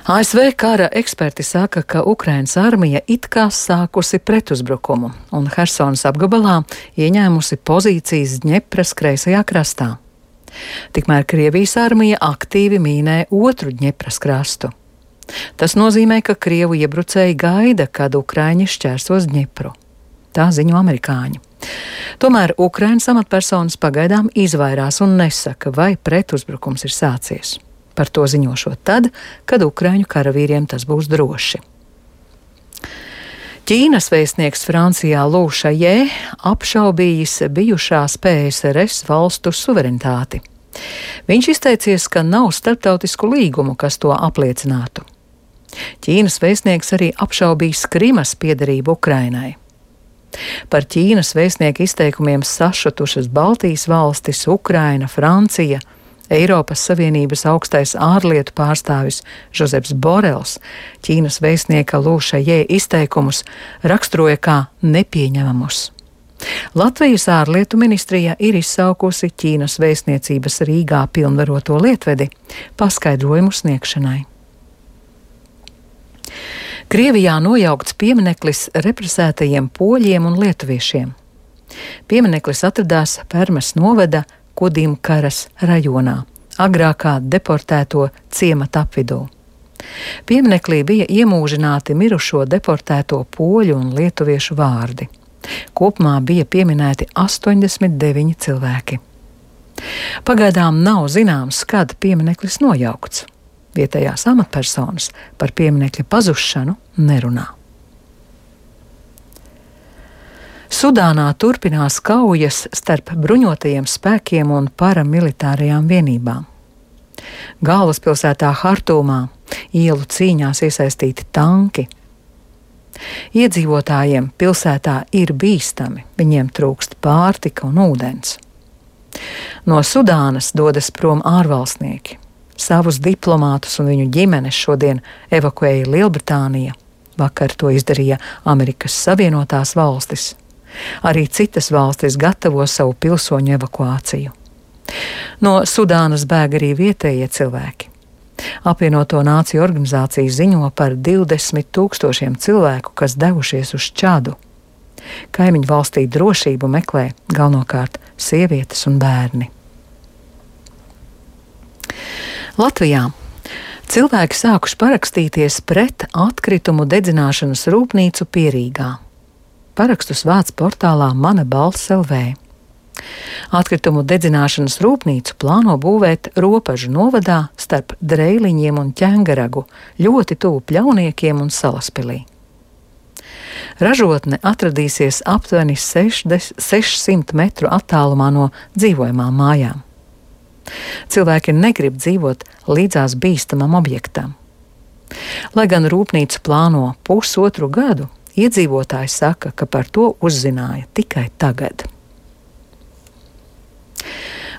ASV kara eksperti saka, ka Ukrainas armija it kā sākusi pretuzbrukumu un Hersonas apgabalā ieņēmusi pozīcijas Dņepras kreisajā krastā. Tikmēr Krievijas armija aktīvi mīnē otru Dņepras krastu. Tas nozīmē, ka Krievu iebrucēji gaida, kad Ukraiņi šķērsos Dņepru. Tā ziņo amerikāņi. Tomēr Ukrainas amatpersonas pagaidām izvairās un nesaka, vai pretuzbrukums ir sācies. Par to ziņošot tad, kad Ukraiņu karavīriem tas būs droši. Ķīnas vēstnieks Francijā Lu Šajē apšaubījis bijušās PSRS valstu suverenitāti. Viņš izteicies, ka nav starptautisku līgumu, kas to apliecinātu. Ķīnas vēstnieks arī apšaubījis Krimas piederību Ukrainai. Par Ķīnas vēstnieka izteikumiem sašutušas Baltijas valstis, Ukraina, Francija, Eiropas Savienības augstais ārlietu pārstāvis Žozeps Borels Ķīnas vēstnieka Lu Šajē izteikumus raksturoja kā nepieņemamus. Latvijas ārlietu ministrija ir izsaukusi Ķīnas vēstniecības Rīgā pilnvaroto lietvedi paskaidrojumu sniegšanai. Krievijā nojaukts piemineklis represētajiem poļiem un lietuviešiem. Piemineklis atradās Permes novada Kudimkaras rajonā, agrākā deportēto ciemata apvidū. Pieminekli bija iemūžināti mirušo deportēto poļu un lietuviešu vārdi. Kopumā bija pieminēti 89 cilvēki. Pagaidām nav zināms, kad piemineklis nojaukts. Vietējās amatpersonas par pieminekļa pazušanu nerunā. Sudānā turpinās kaujas starp bruņotajiem spēkiem un paramilitārajām vienībām. Galvaspilsētā Hartumā ielu cīņās iesaistīti tanki. Iedzīvotājiem pilsētā ir bīstami, viņiem trūkst pārtika un ūdens. No Sudānas dodas prom ārvalstnieki. Savus diplomātus un viņu ģimenes šodien evakuēja Lielbritānija. Vakar to izdarīja Amerikas Savienotās valstis. Arī citas valstis gatavo savu pilsoņu evakuāciju. No Sudānas bēg arī vietējie cilvēki. Apvienoto Nāciju organizācija ziņo par 20 000 cilvēku, kas devušies uz Čadu. Kaimiņu valstī drošību meklē galvenokārt sievietes un bērni. Latvijā cilvēki sākuši parakstīties pret atkritumu dedzināšanas rūpnīcu Pierīgā. Parakstus vāc portālā Mana balss LV. Atkritumu dedzināšanas rūpnīcu plāno būvēt Ropažu novadā starp Dreiliņiem un Ķengaragu, ļoti tuvu Pļauniekiem un Salaspilī. Ražotne atradīsies aptuveni 600 metru attālumā no dzīvojamām mājām. Cilvēki negrib dzīvot līdzās bīstamam objektam. Lai gan rūpnīcu plāno pusotru gadu, iedzīvotāji saka, ka par to uzzināja tikai tagad.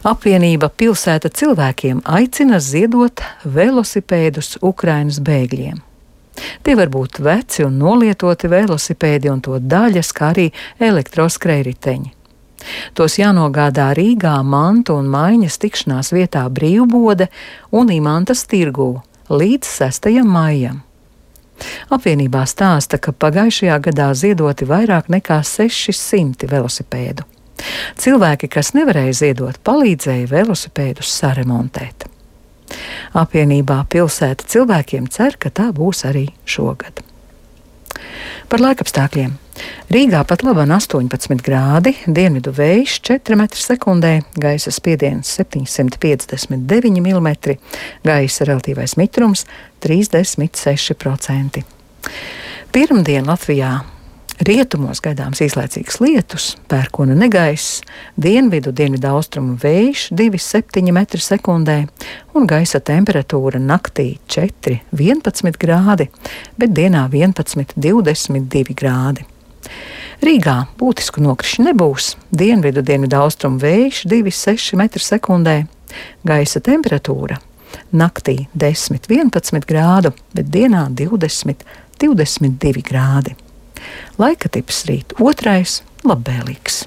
Apvienība Pilsēta cilvēkiem aicina ziedot velosipēdus Ukrainas bēgļiem. Tie var būt veci un nolietoti velosipēdi un to daļas, kā arī elektroskrējriteņi. Tos jānogādā Rīgā Mantu un Maiņas tikšanās vietā Brīvbode un Imantas tirgū līdz 6. maijam. Apvienībā stāsta, ka pagājušajā gadā ziedoti vairāk nekā 600 velosipēdu. Cilvēki, kas nevarēja ziedot, palīdzēja velosipēdus saremontēt. Apvienībā Pilsēta cilvēkiem cer, ka tā būs arī šogad. Par laikapstākļiem. Rīgā pat labāk 18 grādi, dienvidu vējš 4 m/sekundē, gaisa spiediens 759 mm, gaisa relatīvais mitrums 36%. Pirmdien Latvijā rietumos gaidāms īslaicīgs lietus, pērkona negaiss, dienvidu-austrumu vējš 2,7 m/sekundē un gaisa temperatūra naktī 4,11 grādi, bet dienā 11,22 grādi. Rīgā būtisku nokrišņu nebūs, dienvidu-austrumu vējš 2,6 m/sekundē, gaisa temperatūra naktī 10,11 grādu, bet dienā 20,22 grādi. Laika tips rīt 2. labvēlīgs.